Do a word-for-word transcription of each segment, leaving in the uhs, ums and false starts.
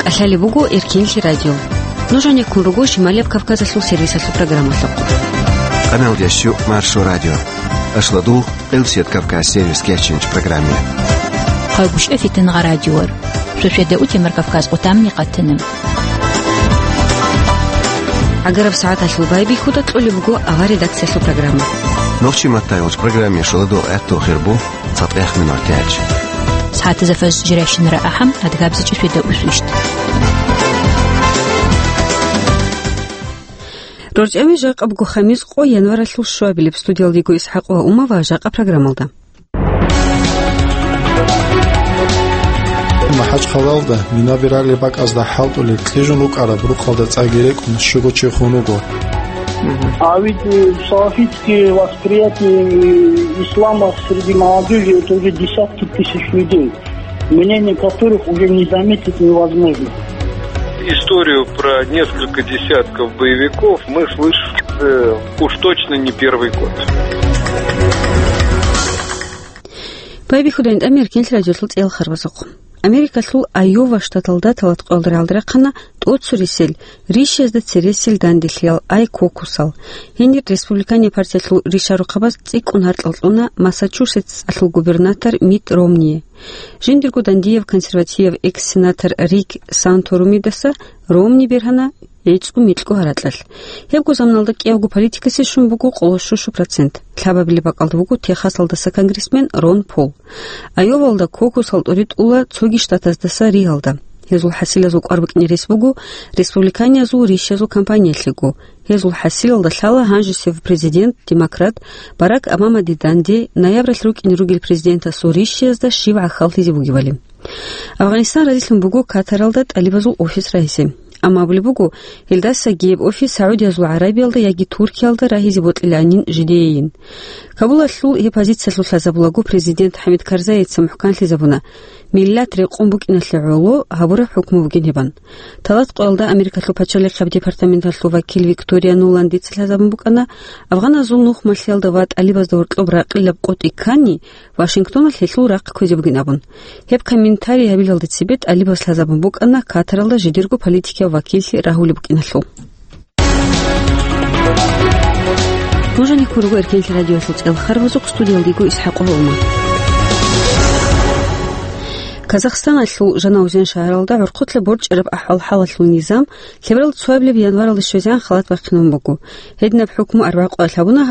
ТӀалъалеб буго Эркенлъи радио. Нуж гьанеккун руго Шималияб Кавказалъул сервисалъул программалъухъ. Къаналдящу Маршо радио. Ашладул Элсет Кавказ сервис кечинч программе. Хъайгуща фитин гъа радиор. Шошеда утемар Кавказ къутамни къатана. ГӀагараб сагӀаталъул байбихьуда кьолеб буго авар редакциялъул программа. Нохчи маттайолч программе шоладул гӀатту хирбу. ЦатӀех минутач. СагӀатазда фаз жиращинара ахӀам, адгабзичӀеб шеда усвищ. РорчӀами жакъа буго хамис къо январалъул щуабилеб. Студиялдего ИсхӀакъ ва Умава жакъа программалда. МахӀачхъалалда минаби ралел бакӀазда хӀалтӀулел кьижун рукӀараб рукъалда цӀаги рекӀун щуго чи хун вуго. А ведь, э, салафитские восприятия, э, ислама среди молодёжи — это уже десятки тысяч людей, мнение которых уже не заметить невозможно. Историю про несколько десятков боевиков мы слышим, э, уж точно не первый год. Байбихьуда ин тӀамир кинлъи радиолъул цӀел харбазухъ. Америкалъул Айова штаталда талат къоялда рагӀалда рахъана тӀоцурисел, рищазда цересел данделъиял, ай кокусал. Гьенир республиканиял партиялъул ришарухъабаз цӀикӀкӀун гьаркьал кьуна Массачусетсалъул губернатор Митт Ромние. Жиндирго дандияв консервативав экс-сенатор Рик Санторумидаса Ромни бергьана гӀицӀго-микьго гьаракьалъ. Гьебго заманалда кӀиявго политикасе щун буго къоло щущу процент. Лъабабилеб бакӀалда вуго Техасалдаса конгрессмен Рон Пол. Айовалда кокусал тӀоритӀула цоги штатаздаса Ригалда. Гьезул хӀасилазул кӀвар букӀине рес буго республиканиязул рищазул кампаниялъего. Гьезул хӀасилалда лъала гьанжесев президент, демократ Барак Обамаде данде ноябралъ рукӀине ругел президентасул рищиязда щиб гӀахьаллъизе бугебали. Афганистан разилъун буго Катаралда тӀалибазул офис рагьизе. Амма абулеб буго, гьелдасаги гьеб офис СагӀудиязул ГӀарабиялда яги Туркиялда рагьизе бокьиланин жидеейин. Кабулалъул гьеб позициялъул лъазабулаго президент ХӀамид Карзаица мухӀканлъизабуна, миллат рекъон букӀиналъе гӀоло гьабураб хӀукму бугин гьебан. Талат къоялда Америкалъул пачалихъаб департаменталъул вакил Виктория Нуландица лъазабун букӀана, афганазул нухмалъиялда ва тӀалибазда гьоркьоб ракъилаб къотӀи ккани, Вашингтоналъ гьелъул рахъ кквезе бугин абун. Гьеб комментарий гьабилалде цебе тӀалибас лъазабун букӀана Катаралда жидерго политикияв вакиллъи рагьулеб букӀиналъул. Нуж гьанеккун руго Эркенлъи радиоялъул цӀел харбазухъ, студиялдего ИсхӀакъ ва Умар. Казахстаналъул Жанаузен шагьаралда гӀурхъулъа борчӀараб ахӀвал-хӀалалъул низам лъеберал цоабилеб январалда щвезегӀан халат бахъинабун буго. Гьединаб хӀукму арбякъуялъ гьабуна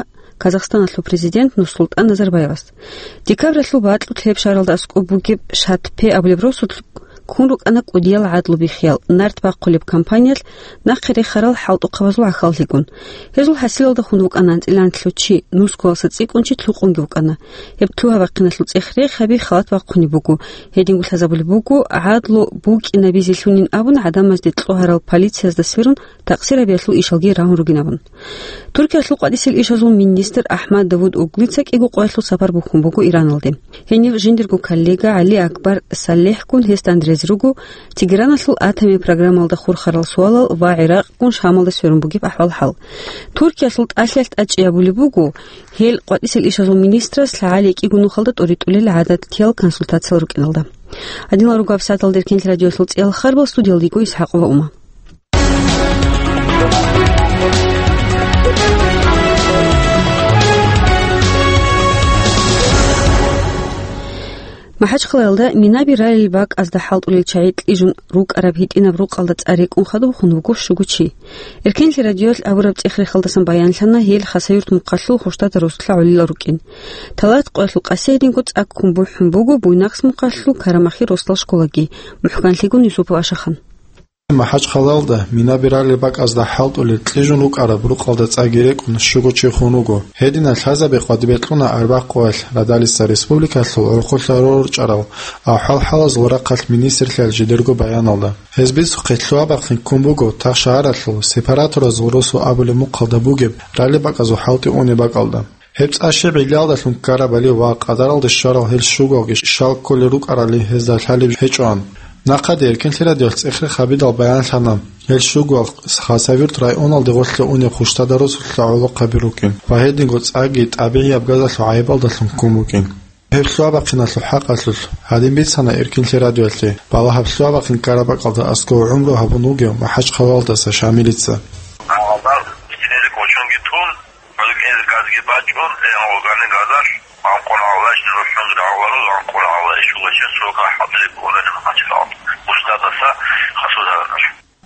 Казахстаналъул президент Нурсултан Назарбаевас. Декабралъул бакьулъ гьеб шагьаралда аскӀоб бугеб Шатпе абулеб росулъ ккун рукӀана кӀудиял гӀадлу биххиял, нарт бахъулеб кампаниялъ нахъе рехарал хӀалтӀухъабазул гӀахьаллъигун. Гьезул хӀасилалда хун вукӀана анцӀила анлъго чи, нусгоялса цӀикӀкӀун чи лъукъунги вукӀана. Гьеб лъугьа-бахъиналъул цӀех рехаби халат бахъунеб буго. Гьединго лъазабулеб буго, гӀадлу букӀинабизелъунин абун гӀадамазде кьогьарал полициязда сверун такъсир гьабиялъул ишалги рагьун ругин абун. Туркиялъул къватӀисел ишазул министр Ахмад Давуд Оглуца кӀиго къоялъул сапар бухьун буго Ираналде. Гьенив жиндирго коллега ГӀали Акбар Саллехгун гьесда андрез руго Тегераналъул атомиял программалда хурхарал суалал ва ГӀиракъгун Шамалда сверун бугеб ахӀвал-хӀал. Туркиялъул тӀалъиялъ тӀачӀи абулеб буго, гьел къватӀисел ишазул министрас лъагӀалие кӀиго нухалда тӀоритӀулел гӀадатиял консультациял рукӀиналда. Гьадинал руго гьабсагӀаталда Эркенлъи радиоялъул цӀел харбал, студиялдего ИсхӀакъ ва Ума. МахӀачхъалаялда минаби ралел бакӀазда хӀалтӀулел чагӀи кьижун рукӀараб гьитӀинаб рукъалда цӀар рекӀун хадуб хун вуго щуго чи. Эркенлъи радиоялъ абураб цӀех-рехалдасан баянлъана гьел Хасавюрт мухъалъул Хурштада росулъа гӀолилал рукӀин. Талат къоялъул къаси гьединго цӀаккун бухӀун буго Буйнакск мухъалъул Карамахи росдал школаги, мухӀканлъигун Юсупов Ашахан. МахӀачхъалалда минаби ралел бакӀазда хӀалтӀулел кьижун рукӀараб рукъалда цӀаги рекӀун щуго чи хун вуго. Гьединал лъазаби къватӀибе кьуна арбякъуялъ радалица республикалъул гӀурхъулъа рорчӀарал ахӀвал-хӀалазул рахъалъ министрлъиялъ жидерго баяналда. Гьез бицухъе лъугьа-бахъин ккун буго Тахшагьаралъул сепараторазул росу абулеб мухъалда бугеб ралеб бакӀазул хӀалтӀи унеб бакӀалда. Гьеб цӀа щиб гӀиллиялдалъун ккарабали ва къадаралде щварал гьел щугоялги щал кколел рукӀарали гьезда лъалеб гьечӀоан. Нахъаде Эркенлъи радиоялъ цӀехерех гьабидал баянлъана, гьел щугоял Хасавюрт районалде гъорлъе унеб Хурштада росулъа гӀолохъаби рукӀин ва гьединго цӀаги тӀабигӀияб газалъул гӀайибалдалъун ккун букӀин. Гьеб лъугьа-бахъиналъул хӀакъалъулъ гьадин бицана Эркинлъи радиоялъе балагьаб лъугьа-бахъин Карабакъалда аскӀов гӀумру гьабун вугев МахӀачхъалалдаса Шамилица.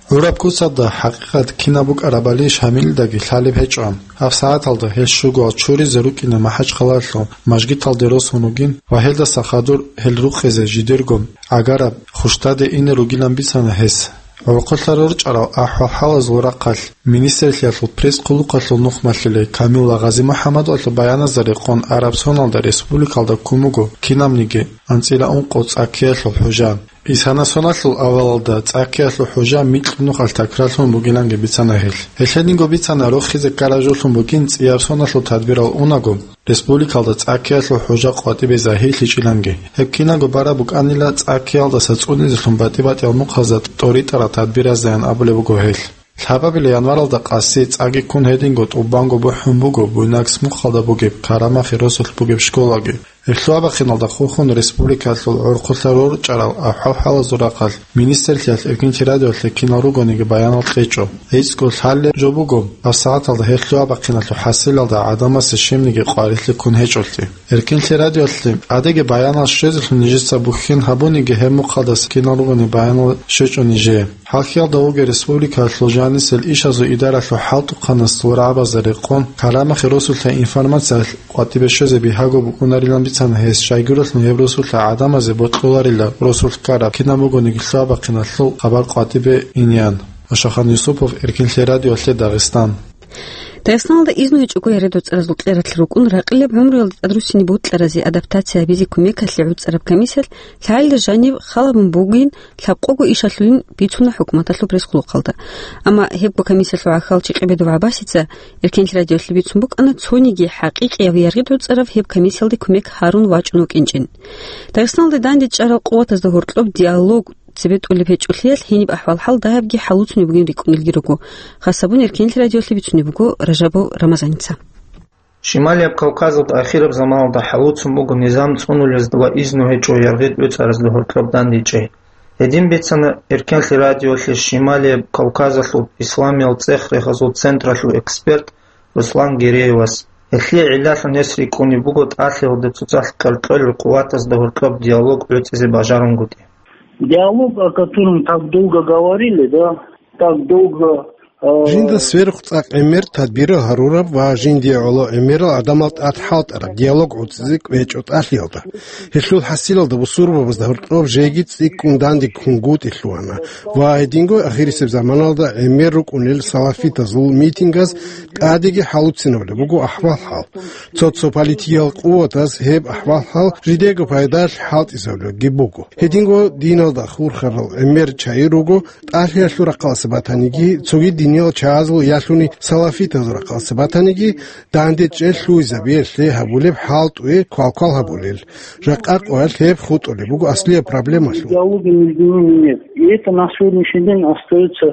ГӀураб куцалда хӀакъикъат кинаб букӀарабали Шамилидаги лъалеб гьечӀо. ГьабсагӀаталда гьел щугоал чуризе рукӀина МахӀачхъалалъул мажгиталде росун ругин ва гьелдаса хадур гьел рукъизе жидерго гӀагараб хущдаде ине ругилан бицана гьес. ГӀурхъулъа рорчӀарал ахӀвал-хӀалазул рахъалъ министрлъиялъул пресс-хъулухъалъул нухмалъулей Камилла ГъазимухӀаммадовалъул баяназда рекъон араб соналда республикалда ккун буго кинабниги анцӀила ункъо цӀаккиялъул хӀужа. Исана соналъул авалалда цӀаккиялъул хӀужа микьнухалъ такрарлъун бугиланги бицана гьел. Гьелъединго бицана рохизе ккараб жолъун бугин цӀияб соналъул тадбирал унаго, республикалда цӀаккиялъул хӀужа къватӀибе загьирлъичӀиланги. Гьеб кинабго бараб букӀанила цӀаккиялдаса цӀунизелъун батӀи-батӀиял мухъазда тӀоритӀарал тадбираздаян абулеб буго гьел. Лъабабила январалда къаси цӀаги ккун гьединго тӀубанго бухӀун буго Буйнакск мухъалда бугеб Карамахи росулъ бугеб школаги. Гьеб лъугьа-бахъиналда хурхун республикалъул гӀурхъулъа рорчӀарал ахӀвал-хӀалазул рахъалъ министрлъиялъ Эркинлъи радиоялъе кинал ругониги баянал кьечӀо. ГӀицӀго лъалеб жо буго, гьабсагӀаталда гьеб лъугьа-бахъиналъул хӀасилалда гӀадамасе щибниги къварилъи ккун гьечӀолъи. Эркинлъи радиоялъе тӀадеги баянал щвезелъун нижеца бухьен гьабуниги гьеб мухъалдаса кинал ругони баянал щвечӀо нижее. ХӀалхьиялда вугев республикалъул жанисел ишазул идаралъул хӀалтӀухъанасул рагӀабазда рекъон, Карамахи росулъа информациялъ къватӀибе щвезе бигьаго букӀунарилан бицана гьес, щайгурелъун гьеб росулъа гӀадамазе бокьуларила росулъ ккараб кинаб бугониги лъугьа-бахъиналъул хабар къватӀибе инеян. Ошахан Юсупов, Эркинлъи радиоялъе Дагъистан. Дагъистаналда изну гьечӀого яргъи-доцӀаразул кьератлъи рукӀун, ракъилеб гӀумруялда тӀадруссине бутӀаразе адаптация гьабизе кумекалъе гӀуцӀараб комиссиялъ лъалилда жаниб халабун бугин лъабкъого ишалъулин бицуна хӀукуматалъул пресс-хъулухъалда. Амма гьебго комиссиялъул гӀахьалчи Къебедов ГӀаббасица Эркенлъи радиолъе бицун букӀана цониги хӀакъикъияб яргъи-доцӀараб гьеб комиссиялде кумек гьарун вачӀун вукӀинчӀин. Дагъистаналда дандечӀарал къуватазда гьоркьоб диалог цебетӀулеб гьечӀолъиялъ гьениб ахӀвал-хӀал дагьабги хӀалуцунеб бугин рикӀкӀунелги руго. Хасабун Эркенлъи радиолъе бицунеб буго Ражабов Рамазаница. Шималияб Кавказалда ахираб заманалда хӀалуцун буго низам цӀунулезда ва изну гьечӀо яргъи-доцӀаразда гьоркьоб дандечӀей. Гьедин бицана Эркенлъи радиолъе Шималияб Кавказалъул исламиял цӀех-рехазул централъул эксперт Руслан Гереевас. Гьелъие гӀиллалъун гьес рикӀкӀунеб буго тӀалъиялда цоцалъ кьеркьел къуватазда гьоркьоб диалог гӀуцӀизе бажарунгутӀи. Диалог, о котором так долго говорили, да, так долго, э, Жинда сверухъ цӀакъ гӀемер тадбирал гьарураб ва жиндие гӀоло гӀемерал гӀадамал тӀад хӀалтӀараб диалог гӀуцӀизе кӀвечӀо тӀалъиялда. Гьелъул хӀасилалда бусурбабазда гьоркьоб жеги цӀикӀкӀун данде ккунгутӀи лъугьана ва гьединго ахирисеб заманалда гӀемер рукӀунел салафитазул митингаз тӀадеги хӀалуцинабулеб буго ахӀвал-хӀал. Цо-цо политикиял къуватаз гьеб ахӀвал-хӀал жидерго пайдалъ хӀалтӀизабулебги буго. Гьединго диналда хурхарал гӀемер чагӀи руго, тӀалъиялъул рахъалъа батаниги, цоги диниял чагӀазул ялъуни салафитазул рахъалъа батаниги, дандечӀей лъугьизабиялъе гьабулеб хӀалтӀуе квалквал гьабулел. Жакъа къоялъ гьеб хутӀулеб буго аслияб проблемалъул. Диалога между ними нет. И это на сегодняшний день остаётся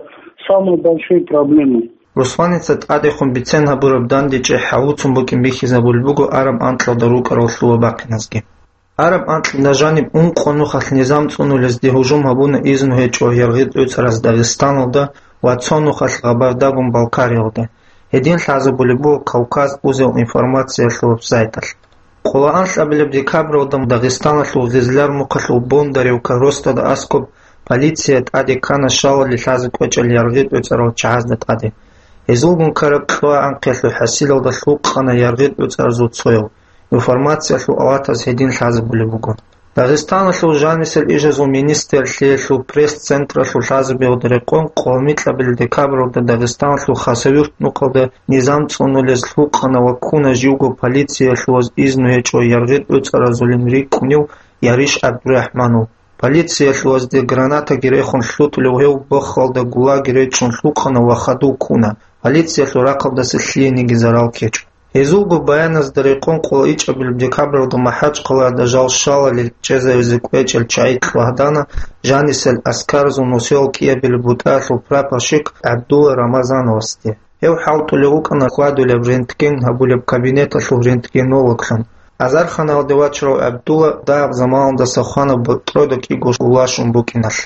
самой большой проблемой. Русланица тӀадехун бицен гьабураб дандечӀей хӀалуцун букӀин бихьизабулеб буго араб анкьалда рукӀарал лъугьа-бахъиназги. Араб анкьда жаниб ункъо нухалъ низам цӀунулезде гьужум гьабуна изну гьечӀо яргъи-доцӀараз Дагъистаналда ва цо нухалъ Гъабардагун Балкариялда. Гьедин лъазабулеб буго Кавказ узел информациялъул вебсайталъ. Къоло анлъабилеб декабралда Дагъистаналъул Гъизлар мухъалъул Бондаревка росдада аскӀоб полиция тӀаде ккана щалали лъазе кӀвечӀел яргъи-доцӀарал чагӀазда тӀаде. Гьезулгун ккараб кьуа анкъиялъул хӀасилалда лъукъана яргъи-доцӀаразул цоял. Информациялъул аватаз гьедин лъазабулеб буго. Дагъистаналъул жанисел ишазул министрлъиялъул пресс-централъул лъазабиялда рекъон къоло микьабилеб декабралда Дагъистаналъул Хасавюрт нухалда низам цӀунулез лъукъана ва ккуна живго полициялъуваз изну гьечӀо яргъи-доцӀаразулин рикӀкӀунев Яриш ГӀабдурахӀманов. Полициялъувазде гранатаги рехун лъутӀулев гьев бохалда гулаги речӀчӀун лъукъана ва хадув ккуна. Полициялъул рахъалдаса лъиениги зарал ккечӀо. Гьезулго баяназда рекъон къоло ичӀабилеб декабралда МахӀачхъалада жал щалали чӀезавизе кӀвечӀел чагӀи лъугьадана жанисел аскаразул нусиялъул кӀиабилеб бутӀаялъул прапорщик ГӀабдулла Рамазановасде. Гьев хӀалтӀулев вукӀана хьвадулеб рентген гьабулеб кабинеталъул рентгенологлъун. Азарханалде вачарав ГӀабдулла дагьаб заманалдаса хвана БорчӀрода кӀиго гуллашун букӀиналъ.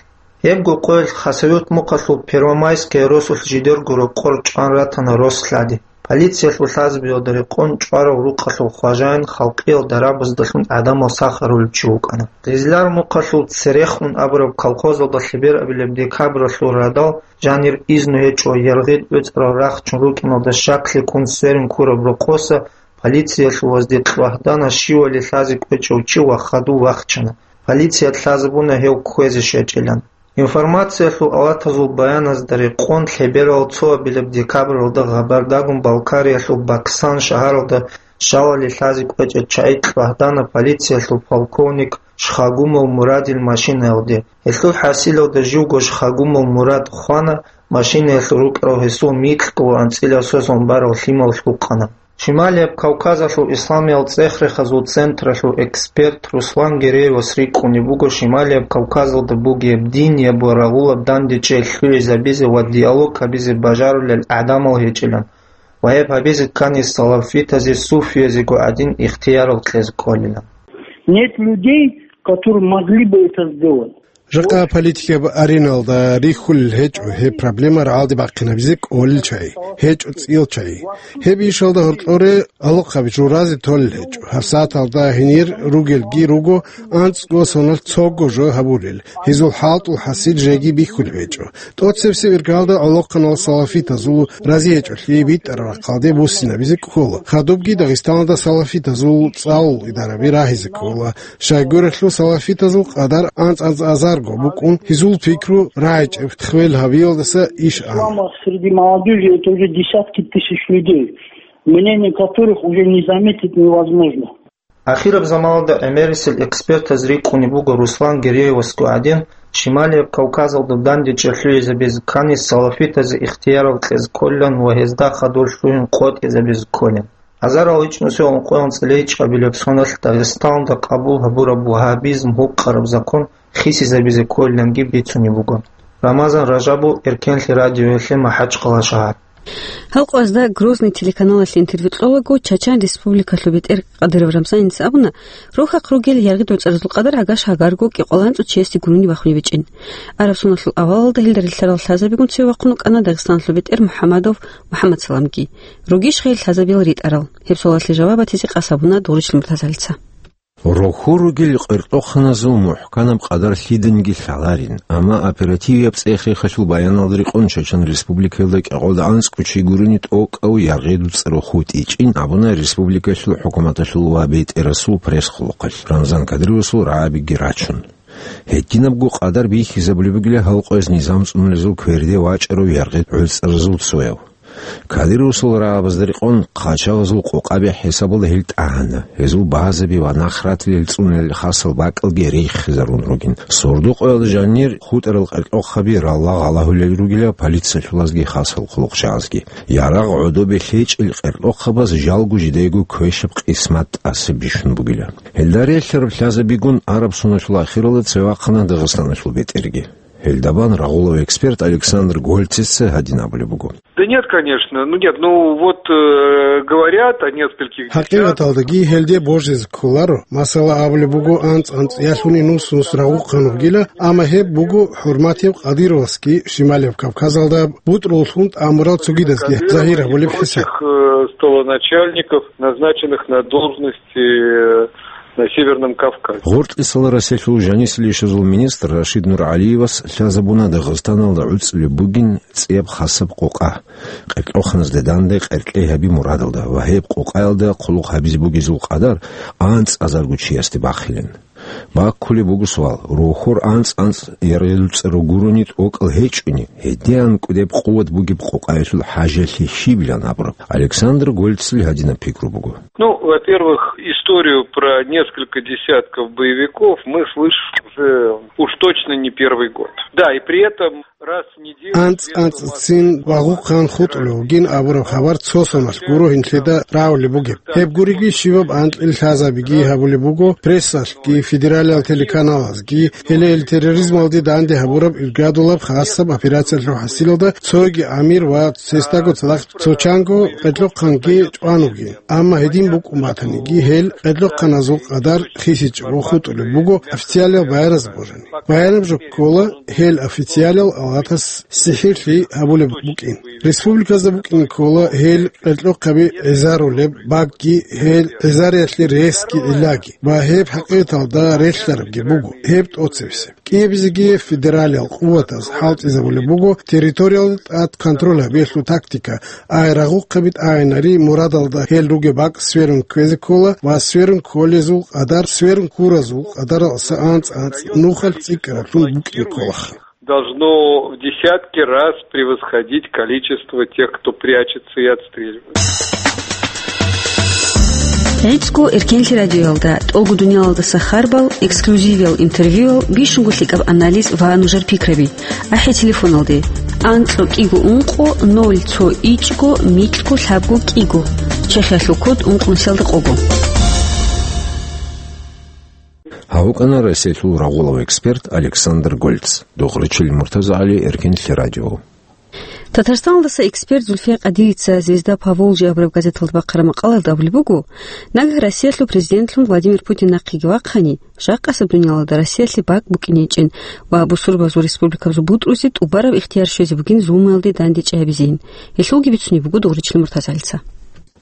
Гьебго къоялъ Хасавюрт мухъалъул Первомайская росулъ жидерго рокъор чӀван ратана рос лъади. Полициялъул лъазабиялда рекъон чӀварав рукъалъул хважаин халкъиялда рабаздалъун гӀадамал сахарулев чи вукӀана. Гъизлар мухъалъул Церехун абураб колхозалда лъеберабилеб декабралъул радал жанир изну гьечӀо яргъи гӀуцӀарал рахчун рукӀиналда щаклъи ккун сверун ккураб рокъоса полициялъул ваздихъ вагьдана щивали лъазе кӀвечӀев чи ва хадув вахчана. Полициялъ лъазабуна гьев кквезе щвечӀилан. Информациялъул алатазул баяназда рекъон лъеберал цоабилеб декабралда Гъабардагун Балкариялъул Баксан шагьаралда щавали лъазе кӀвечӀеб чагӀи кьвагьдана полициялъул полковник Шхагумов Мурадил машинаялде. Гьелъул хӀасилалда живго Шхагумов Мурад хвана, машинаялъул рукӀарал гьесул микьго ва анцӀила сосун барал лъимал лъукъана. Шималияб Кавказалъул исламиял цӀех-рехазул централъул эксперт Руслан Гереевас рикӀкӀунеб буго Шималияб Кавказалда бугеб дин яб ва рагъулаб дандечӀей лъугӀизабизе ва диалог гьабизе бажарулел гӀадамал гьечӀилан ва гьеб гьабизе ккани салафитазе, суфиязего гӀадин ихтиярал кьезе кколилан. Нет людей, которые могли бы это сделать. Жакъа политикаб ареналда рихьулел гьечӀо гьеб проблема рагӀалде бахъинабизе кӀолел чагӀи, гьечӀо цӀиял чагӀи. Гьеб ишалда гьоркьоре алохъаби журазе толел гьечӀо. ГьабсагӀаталда гьенир ругелги руго, анцӀго соналъ цого жо гьабулел, гьезул хӀалтӀул хӀасил жеги бихьулеб гьечӀо. ТӀоцебесеб иргалда гӀолохъанал салафитазул рази гьечӀолъи битӀараб рахъалде буссинабизе ккола. Хадубги Дагъистаналда салафитазул цӀалул идараби рагьизе ккола. Щайгурелъул салафитазул къадар анцӀ-анцӀ азарго букӀун, гьезул пикру рагӀичӀеб хвел гьабиялдаса иш ана. Ислама среди молодёжи это уже десятки тысяч людей, мнение которых уже не заметить невозможно. Ахираб заманалда гӀемерисел экспертаз рикӀкӀунеб буго Руслан Гереевасго гӀадин, Шималияб Кавказалда дандечӀей лъугӀизабизе ккани салафитазе ихтиярал кьезе кколилан ва гьезда хадур лъугӀин къотӀизабизе кколин. Азарал ичӀнусиялда ункъоялда цӀаличӀабилеб соналъ Дагъистаналда къабул гьабураб вагьабизм гьукъараб закон хисизабизе кколиланги бицунеб буго. Рамазан Ражабов, Эркенлъи радиоялъе, МахӀачхъала шагьар. Гьал къоязда Грозный телеканалалъе интервью кьолаго, Чачан Республикалъул бетӀер Кадыров Рамзаница абуна, рохьахъ ругел яргъи доцӀаразул къадар гӀагаш гьагарго кӀикъоялда анцӀго чиясде гурони бахунеб гьечӀин. Араб соналъул авалалда гьелда релълъарал лъазабигун цеве вахъун вукӀана Дагъистаналъул бетӀер МухӀамадов МухӀамадсаламги. Ругищ гьел лъазабиял ритӀарал? Гьеб суалалъе жаваб батизе къасд гьабуна Дугъришлъи Муртазалица. Рохьор ругел къеркьоханазул мухӀканаб къадар лъиданиги лъаларин, амма оперативияб цӀех-рехалъул баяналда рекъон Чачан Республикаялда кӀикъоялда анцӀго чи гурони тӀокӀав яргъи доцӀарав хутӀичӀин абуна республикалъул хӀукуматалъул ва бетӀерасул пресс-хъулухъалъ, Рамзан Кадыровасул рагӀабиги рачун. Гьединабго къадар бихьизабулеб бугила гьал къояз низам цӀунулезул кверде вачӀарав яргъи гӀуцӀаразул цояв. Кадыровасул рагӀабазда рекъон хъачагъазул къокъаби хӀисабалда гьел тӀагьана, гьезул базаби ва нахратилел цӀунулел хасал бакӀалги риххизарун ругин. Сордо къоялда жанир хутӀарал къеркьохаби ралла гъалагьулел ругила полициялъулазги хасал хъулухъчагӀазги. Ярагъ гӀодобе лъечӀел къеркьохабаз жалго жидайго квешаб къисмат тӀаса бищун бугила. Гьелда релълъараб лъазабигун араб соналъул ахиралда цеве вахъана Дагъистаналъул бетӀерги. Гьелда бан рагъулав эксперт Александр Гольцеца гьадин абулеб буго. Да нет, конечно. Ну нет, ну вот, э, говорят о нескольких десятках. ХӀакъикъаталдаги гьелде божизе кколаро. Масала, абулеб буго, анцӀ-анцӀ ялъуни нус-нус рагъухъан вугила, амма гьеб буго хӀурматияв Кадыровасги Шималияб Кавказалда бутӀруллъун тӀамурал цогидазги загьир гьабулеб хӀисаб. Прочих, э, столоначальников, назначенных на должности, э, на Северном Кавказе. Гъоркьисаларасиялъул жанисел ишазул министр Рашид Нургьалиевас лъазабуна Дагъистаналда гӀуцӀулеб бугин цӀияб хасаб къокъа. Къеркьоханазде данде къеркьей гьаби мурадалда ва гьеб къокъаялда хъулухъ гьабизе бугезул къадар анцӀазарго чиясде бахилин. Баккулеб буго суал, рохьор анцӀ-анцӀ яргъи доцӀарав гурони тӀокӀал гьечӀони, гьедин анкьго къуват бугеб къокъаялъул хӀажалъи щибилан абураб? Александр Гольцел гьадинаб пикру буго. Ну, во-первых, историю про несколько десятков боевиков мы слышим уже Уж точно не первый год. Да, и при этом раз в неделю... АнцӀ-анцӀцин вагъухъан хутӀулев вугин абураб хабар цо соналъ гуро гьинлъида рагӀулеб бугеб. Гьеб гуриги щибаб анкьил лъазабиги гьабулеб буго прессалъги, федералиал телеканалазги, гьеле ил терроризмалде данде гьабураб иргадулаб хасаб операциялъул хӀасилалда цоги амир ва цесдаго цадахъ цо чанго къедлъухъанги чӀван вугин. Амма гьедин букӀун батаниги, гьел къедлъухъаназул къадар хисичӀого хутӀулеб буго официалиал баяраз божани. Баянаб жо ккола, гьел официалиал авлатас сихӀирлъи гьабулеб букӀин. Республиказда букӀин ккола гьел къедлъухъаби гӀезарулеб бакӀги, гьел гӀезариялъе ресги гӀиллаги ва гьеб хӀакъикъаталда релълъарабги буго, гьеб тӀоцебесеб. КӀиабизеги федералиал къуватаз хӀалтӀизабулеб буго территориялда тӀад контроль гьабиялъул тактика, ай рагъухъаби тӀагӀинари мурадалда гьел ругеб бакӀ сверун кквезе ккола ва сверун кколезул къадар, сверун ккуразул къадаралдаса анцӀ-анцӀ нухалъ цӀикӀкӀараблъун букӀин кколаха. Должно в десятки раз превосходить количество тех, кто прячется и отстреливается. ГӀицӀго Эркенлъи радиоялда тӀолго дуниялалдаса харбал, эксклюзивиял интервьюял, бищунго лъикӀаб анализ ва нужер пикраби. АхӀи телефоналде: анцӀго кӀиго ункъо ноль цо ичӀго микьго лъабго кӀиго. Чехиялъул код ункънусиялда къого. Гьав вукӀана Россиялъул рагъулав эксперт Александр Гольц. Духъричил МуртазагӀали, Эркенлъи радио. Татарстаналдаса эксперт Зульфия Къадирица «Звезда Поволжья» абураб газеталда бахъараб макъалаялда абулеб буго, нагагь Россиялъул президентлъун Владимир Путин нахъеги вахъани, жакъасеб дуниялалда Россиялъе бакӀ букӀинечӀин ва бусурбабазул республикабазул бутӀрузе тӀубараб ихтияр щвезе бугин зулмуялде дандечӀей гьабизейин. Гьелъулги бицунеб буго Духъричил МуртазагӀалица.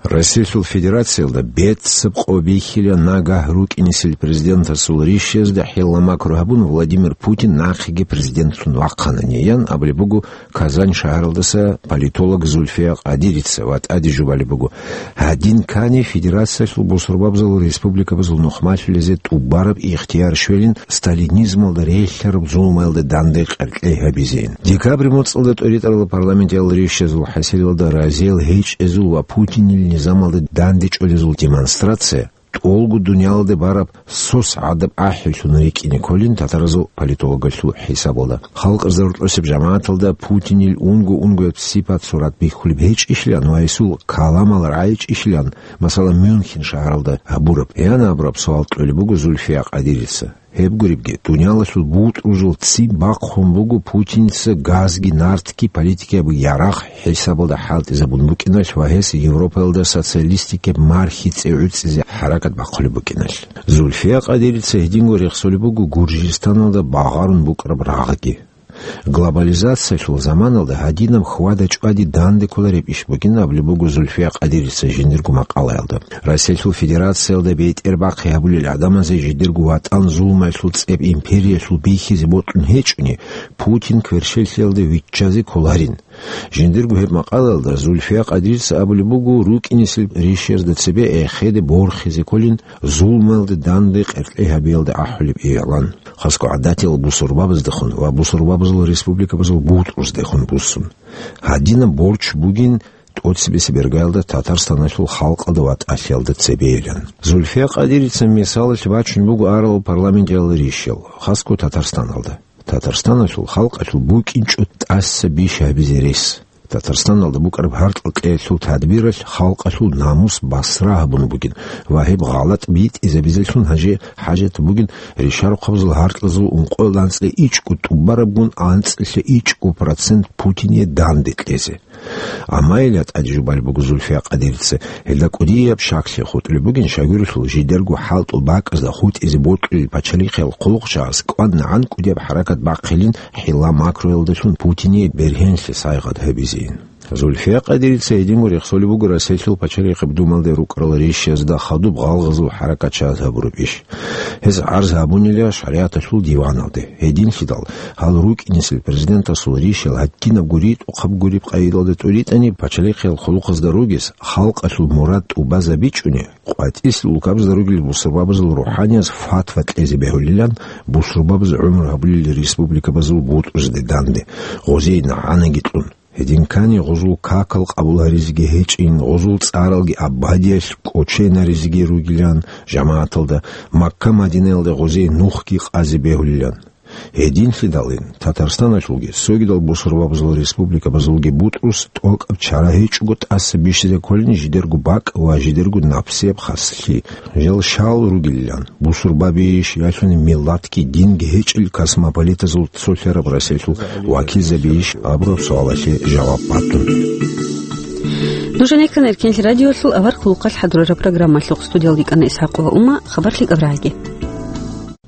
Россиялъул Федерациялда беццаб къо бихьила нагагь рукӀинесел президентасул ришиязда хӀилла-макру гьабун, Владимир Путин нахъеги президентлъун вахъанани, ян абулеб буго Казань шагьаралдаса политолог Зульфия Къадирица ва тӀаде жубалеб буго: гьадин ккани Федерациялъул бусурбабазул республикабазул нухмалъулезе тӀубараб ихтияр щвелин сталинизмалда релълъараб зулмаялда данде къеркьей гьабизейин. Декабрь моцӀалда тӀоритӀарал парламентиял ришазул хӀасилалда разиял гьечӀезул ва Путинил низамалда дандечӀолезул демонстрация тӀолго дуниялалде бараб сос гӀадаб ахӀилъун рикӀкӀине кколин татаразул политологалъул хӀисабалда. Халкъ ризарулъосеб жамагӀаталда Путинил унго-унгояб сипат-сурат бихьулеб гьечӀищилан ва гьесул каламал рагӀичӀищилан, масала, Мюнхен шагьаралда гьабураб, ян абураб суал кьолеб буго Зульфия Къадирица. Гьеб гуребги, дуниялалъул бутӀрузул ццин бахъун буго Путинца газги нартги политикаяб ярагъ хӀисабалда хӀалтӀизабун букӀиналъ ва гьес Европаялда социалистикаб мархи цӀе гӀуцӀизе хӀаракат бахъулеб букӀиналъ. Зульфия Къадирица гьединго рехсолеб буго Гуржистаналда багъарун букӀараб рагъги. Глобализациялъул заманалда гьадинаб хьвада-чӀвади данде кколареб иш бугин абулеб буго Зульфия Къадирица жиндирго макъалаялда. Россиялъул Федерациялда бетӀербахъи гьабулел гӀадамазе жидерго ватӀан зулмаялъул цӀеб империялъул бихьизе бокьун гьечӀони, Путин кверщеллъиялда виччазе кколарин. Жиндирго гьеб макъалаялда Зульфия Къадирица абулеб буго рукӀинесел ришиязда цебе эхеде борхизе кколин зулмаялда данде къеркьей гьабиялда ахӀулеб игӀлан. Хасго гӀадатиял бусурбабаздехун ва бусурбабазул республикабазул бутӀруздехун буссун. Гьадинаб борч бугин тӀоцебесеб иргаялда Татарстаналъул халкъалда ватӀалъиялда цебейилан. Зульфия Къадирица мисалалъ бачун буго арал парламентиял ришал, хасго Татарстаналда. Татарстаналъул халкъалъул букӀинчӀо тӀаса бищ гьабизе рес. Татарстаналда букӀараб гьаркьа кьеялъул тадбиралъ халкъалъул намус басра гьабун бугин ва гьеб гъалатӀ битӀизабизелъун гьанже хӀажат бугин ришарухъабазул гьаркьазул ункъоялда анцӀила ичӀго тӀубарабгун анцӀила ичӀго процент Путине данде кьезе. Амма гьелда тӀаде жубалеб буго Зульфия Къадирица, гьелда кӀудияб щаклъи хутӀулеб бугин, щайгурелъул жидерго хӀалтӀул бакӀазда хутӀизе бокьулел пачалихъиял хъулухъчагӀаз кӀванагӀан кӀудияб хӀаракат бахъилин хӀилла-макруялдалъун Путине бергьенлъи сайгъат гьабизейин. Зульфия Къадирица гьединго рехсолеб буго Россиялъул пачалихъаб Думалде рукӀарал ришазда хадуб гъалгъазул хӀаракатчагӀаз гьабураб иш. Гьез гӀарз гьабунила шаригӀаталъул диваналде. Гьединлъидал, гьал рукӀинесел президентасул ришал гьадинабго ритӀухъаб гуреб къайдалда тӀуритӀани, пачалихъиял хъулухъазда ругес, халкъалъул мурад тӀубазабичӀони, къватӀисел улкабазда ругел бусурбабазул рухӀаниязул фатва кьезе бегьулилан, бусурбабаз гӀумру гьабулел республикабазул бутӀрузде данде, гъозие нагӀанаги кьун. Гьедин ккани гъузул какал къабул гьаризеги гьечӀин, гъузул цӀаралги абадиялъ кӀоченаризеги ругилан, жамагӀаталда Макка-Мадинаялда гъозие нухги къазе бегьулилан. Гьединлъидалин Татарстаналъулги цогидал бусурбабазул республикабазулги бутӀрус тӀокӀаб чара гьечӀого тӀаса бищизе кколин жидерго бакӀ ва жидерго напсияб хаслъи. Жал щал ругилан, бусурбабийищ, ялъуни миллатги динги гьечӀел космополитазул цолъараб Россиялъул вакилзабийищ абураб суалалъе жаваб батун. Нуж гьанеккана Эркенлъи радиоялъул авар хъулухъалъ хӀадурараб программалъухъ. Студиялги кӀана ИсхӀакъ ва Ума, хабар лъикӀаб рагӀаги.